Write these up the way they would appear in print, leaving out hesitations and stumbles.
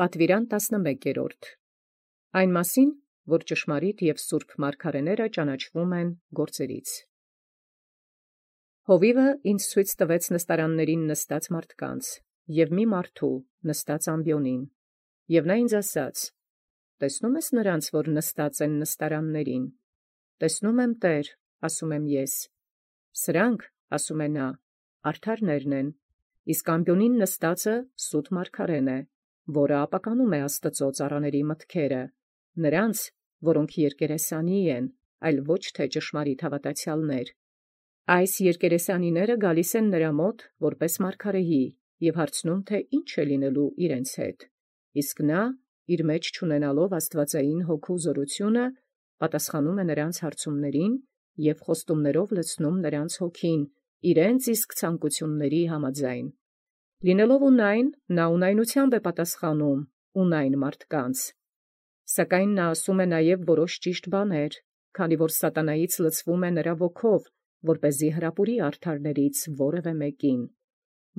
Պատվիրան 11-րդ. Այն մասին, որ ճշմարիտ և սուրբ մարգարեները ճանաչվում են գործերից։ Հովիվը ինձ ցույց տվեց նստարաններին նստած մարդկանց, և մի մարդու նստած ամբիոնին, և նա ինձ ասաց. տեսնում ես նրանց, որ նստած են նստարաններին։ Տեսնում եմ, Տեր, ասում եմ ես։ Սրանք, ասում է նա, արդարներն են, իսկ ամբիոնին նստածը սուտ մարգարեն է, որը ապականում է Աստծո ծառաների մտքերը, նրանց, որոնք երկերեսանի են, այլ ոչ թե ճշմարիտ հավատացյալներ։ Այս երկերեսանիները գալիս են նրա մոտ որպես մարգարեի և հարցնում, թե ինչ է լինելու իրենց հետ, իսկ նա, իր մեջ չունենալով աստվածային հոգու զորությունը, պատասխանում է նրանց հարցումներին և խոստումներով լցնում նրանց հոգին, իրենց իսկ ցանկությունների համաձայն։ Լինելով ունայն, նա ունայնությամբ է պատասխանում ունայն մարդկանց։ Սակայն նա ասում է նաև որոշ ճիշտ բաներ, քանի որ սատանայից լցվում է նրա ոգով, որպեսզի հրապուրի արդարներից որևէ մեկին։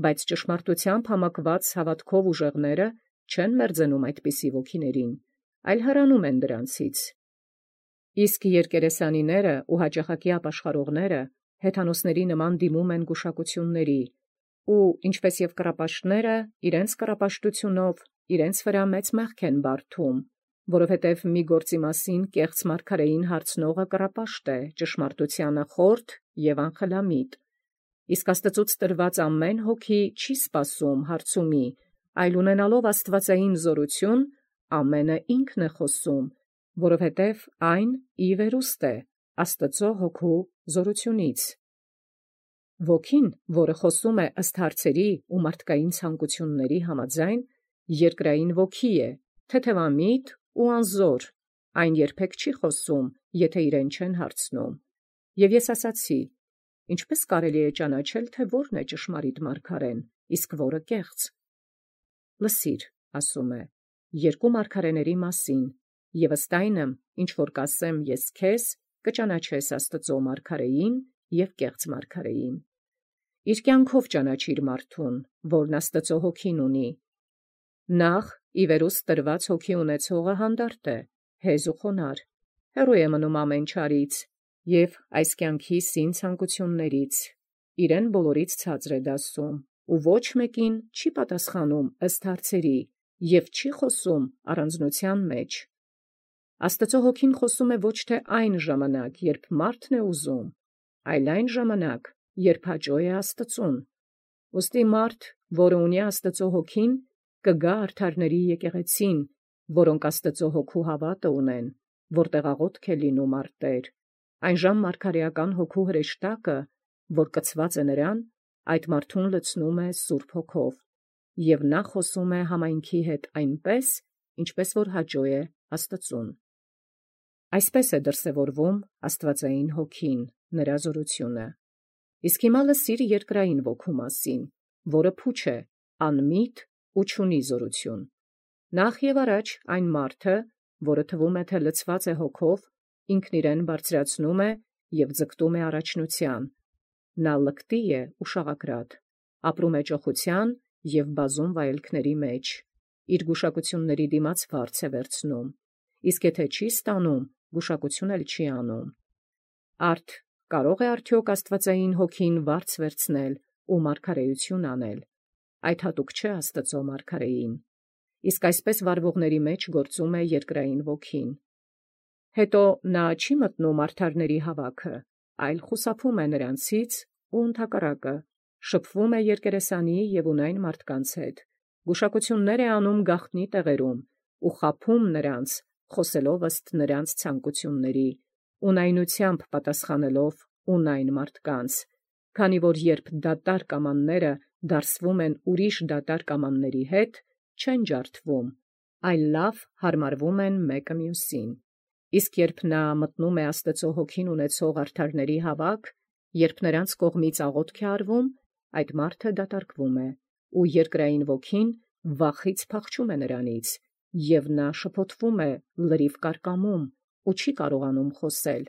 Բայց ճշմարտությամբ համակված հավատքով ուժեղները չեն մերձենում այդպիսի ոգիներին, այլ հեռանում են դրանցից։ Իսկ երկերեսանիները ու հաճախակի ապաշխարողները հեթանոսների նման դիմում են գուշակությունների, ու ինչպես և կռապաշտները իրենց կռապաշտությունով իրենց վրա մեծ մեղք են բարդում, որովհետև մի գործի մասին կեղծ մարգարեին հարցնողը կռապաշտ է, ճշմարտությանը խորթ և անխլամիտ։ Իսկ Աստծուց տրված ամեն հոգի չի սպասում հարցումի, այլ ունենալով աստվածային զորություն, ամենը ինքն է խոսում, որովհետև այն ի վերուստ է Աստծո հոգու զորությունից։ Ոգին, որը խոսում է ըստ հարցերի ու մարդկային ցանկությունների համաձայն, երկրային ոգի է, թեթևամիտ ու անզոր, այն երբեք չի խոսում, եթե իրեն չեն հարցնում։ Եվ ես ասացի. ինչպես կարելի է ճանաչել, թե որն է ճշմարիտ մարգարեն, իսկ որը կեղծ։ Լսիր, ասում է, երկու մարգարեների մասին, և ըստ այնմ, ինչ որ կասեմ ես քեզ, կճանաչես Աստծո մարգարեին և կեղծ մարգարեին։ Իր կյանքով ճանաչիր մարդուն, որն Աստծո հոգին ունի։ Նախ ի վերուստ տրված հոգի ունեցողը հանդարտ է, հեզ ու խոնարհ, հեռու է մնում ամեն չարից և այս կյանքի սին ցանկություններից, իրեն բոլորից ցածր է դասում ու ոչ մեկին չի պատասխանում ըստ հարցերի և չի խոսում առանձնության մեջ։ Աստծո հոգին խոսում է ոչ թե այն ժամանակ, երբ մարդն է ուզում, այլ այն ժամանակ, երբ հաճո է Աստծուն։ Ուստի մարդ, որը ունի Աստծո հոգին, կգա արդարների եկեղեցին, որոնք Աստծո հոգու հավատը ունեն, որտեղ աղոթք է լինում արտեր, այնժամ մարգարեական հոգու հրեշտակը, որ կցված է նրան, այդ մարդուն լցնում է Սուրբ Հոգով, և նա խոսում է համայնքի հետ այնպես, ինչպես որ հաճո է Աստծուն։ Այսպես է դրսևորվում աստվածային հոգին, նրա զորությունը։ Իսկ հիմա լսիր երկրային ոգու մասին, որը փուչ է, անմիտ ու չունի զորություն։ Նախ և առաջ այն մարդը, որը թվում է, թե լցված է հոգով, ինքն իրեն բարձրացնում է և ձգտում է առաջնության։ Նա լկտի է ու շաղակրատ, ապրում է ճոխության և բազում վայելքների մեջ, իր գուշակությունների դիմաց վարձ է վերցնում, իսկ եթե չի ստանում, գուշակություն էլ չի անում։ Արդ կարո՞ղ է արդյոք աստվածային հոգին վարձ վերցնել ու մարգարեություն անել։ Այդ հատուկ չէ Աստծո մարգարեին։ Իսկ այսպես վարվողների մեջ գործում է երկրային ոգին։ Հետո նա չի մտնում արդարների հավաքը, այլ խուսափում է նրանցից ու ընդհակառակը, շփվում է երկերեսանի և ունայն մարդկանց հետ, գուշակություններ է անում գաղտնի տեղերում ու խաբում նրանց, խոսելով ըստ նրանց ցանկությունների, ունայնությամբ պատասխանելով ունայն մարդկանց, քանի որ երբ դատարկ ամանները դարսվում են ուրիշ դատարկ ամանների հետ, չեն ջարդվում, այլ լավ հարմարվում են մեկը մյուսին։ Իսկ երբ նա մտնում է Աստծո հոգին ունեցող արդարների հավաք, երբ նրանց կողմից աղոթք է արվում, այդ մարդը դատարկվում է, ու երկրային ոգին վախից փախչում է նրանից, և նա շփոթվում է, լրիվ կարկամում ու չի կարողանում խոսել։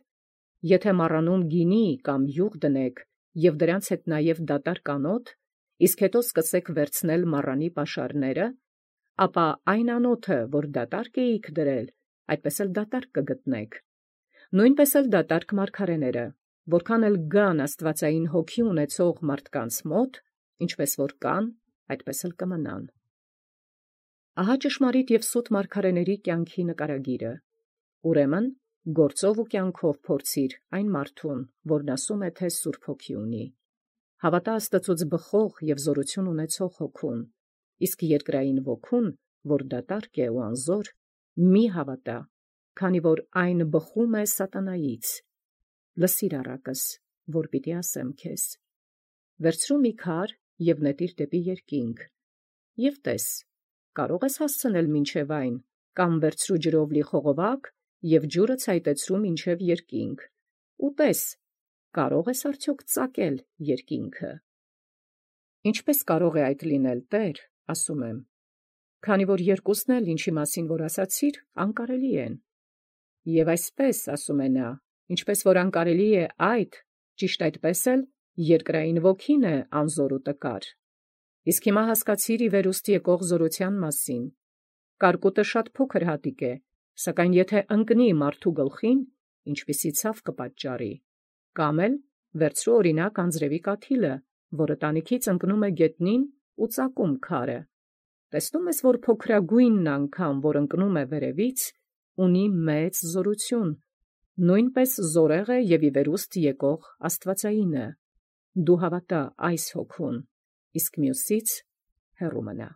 Եթե մառանում գինի կամ յուղ դնեք և դրանց հետ նաև դատարկ անոթ, իսկ հետո սկսեք վերցնել մառանի պաշարները, ապա այն անոթը, որ դատարկ էիք դրել, այդպես էլ դատարկ կգտնեք։ Նույնպես էլ դատարկ մարգարեները, որքան էլ գան աստվածային հոգի ունեցող մարդկանց մոտ, ինչպես որ կան, այդպես էլ կմնան։ Ահա ճշմարիտ և սուտ մարգարեների կյանքի նկարագիրը։ Ուրեմն գործով ու կյանքով փորձիր այն մարդուն, որն ասում է, թե Սուրբ Հոգի ունի։ Հավատա Աստծուց բխող և զորություն ունեցող հոգուն, իսկ երկրային ոգուն, որ դատարկ է ու անզոր, մի հավատա, քանի որ այն բխում է սատանայից։ Լսիր առակս, որ պիտի ասեմ քեզ. վերցրու մի քար և նետիր դեպի երկինք, և տես, կարող ես հասցնել մինչև այն, կամ վերցրու ջրով լի խողովակ և ջուրը ցայտեցրու մինչև երկինք, ու տես, կարող ես արդյոք ծակել երկինքը։ Ինչպես կարող է այդ լինել, Տեր, ասում եմ, քանի որ երկուսն էլ, ինչի մասին որ ասացիր, անկարելի են։ Եվ այսպես, ասում է նա, ինչպես որ անկարելի է այդ, ճիշտ այդպես էլ երկրային ոգին է անզոր ու տկար։ Իսկ հիմա հասկացիր ի վերուստ եկող զորության մասին։ Կարկուտը շատ փոքր հատիկ է, սակայն եթե ընկնի մարդու գլխին, ինչպիսի ցավ կպատճառի, կամ էլ վերցրու օրինակ անձրևի կաթիլը, որը տանիքից ընկնում է գետնին ու ծակում քարը։ Տեսնում ես, որ փոքրագույնն անգամ, որ ընկնում է վերևից, ունի մեծ զորություն, նույնպես զորեղ է և ի վերուստ եկող աստվածայինը։ Դու հավատա այս հոգուն, իսկ մյուսից հեռու մնա։